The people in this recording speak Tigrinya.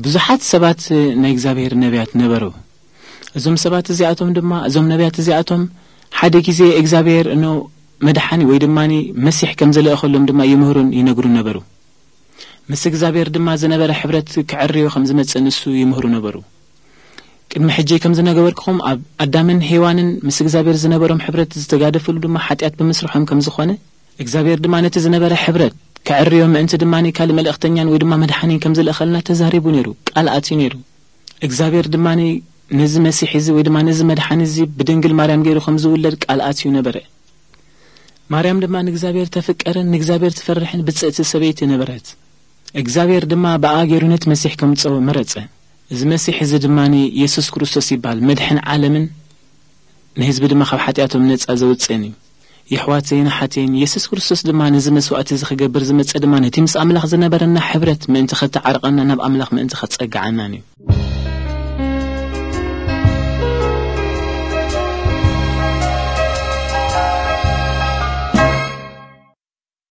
ብዙሓት ሰባት ናይ እግዚኣብሔር ነቢያት ነበሩ። እዞም ሰባት እዚኣቶም ድማ፣ እዞም ነቢያት እዚኣቶም ሓደ ግዜ እግዚኣብሔር እኖ መድሓኒ ወይ ድማ መሲሕ ከም ዝለእኸሎም ድማ ይምህሩን ይነግሩን ነበሩ። ምስ እግዚኣብሔር ድማ ዝነበረ ሕብረት ክዕርዮ ከም ዝመጽእ ንሱ ይምህሩ ነበሩ። ቅድሚ ሕጂ ከም ዝነገበርክኹም ኣብ ኣዳምን ሄዋንን ምስ እግዚኣብሔር ዝነበሮም ሕብረት ዝተጋደፈሉ ድማ ሓጢኣት ብምስርሖም ከም ዝኾነ እግዚኣብሔር ድማ ነቲ ዝነበረ ሕብረት ክዕርዮ ምእንቲ ድማ ካልእ መልእኽተኛን ወይ ድማ መድሓኒን ከም ዝለእኸልና ተዛሪቡ ነይሩ፣ ቃል ኣትዩ ነይሩ። እግዚኣብሔር ድማ ነዚ መሲሕ እዚ ወይ ድማ ነዚ መድሓኒ እዚ ብድንግል ማርያም ገይሩ ከም ዝውለድ ቃል ኣትዩ ነበረ። ማርያም ድማ ንእግዚኣብሔር ተፍቀርን ንእግዚኣብሔር ትፈርሕን ብጽእቲ ሰበይቲ ነበረት። እግዚኣብሔር ድማ ብኣ ገይሩ ነቲ መሲሕ ከምጽኦ መረጸ። እዚ መሲሕ እዚ ድማ የሱስ ክርስቶስ ይበሃል፣ መድሕን ዓለምን ንህዝቢ ድማ ካብ ሓጢኣቶም ነጻ ዘውጽእን እዩ። የሕዋተይን ኣሓተይን፣ የሱስ ክርስቶስ ድማ ነዚ መስዋእቲ እዚ ክገብር ዝመጸ ድማ ነቲ ምስ ኣምላኽ ዝነበረና ሕብረት ምእንቲ ከተዓርቐና ናብ ኣምላኽ ምእንቲ ከጸግዓናን እዩ።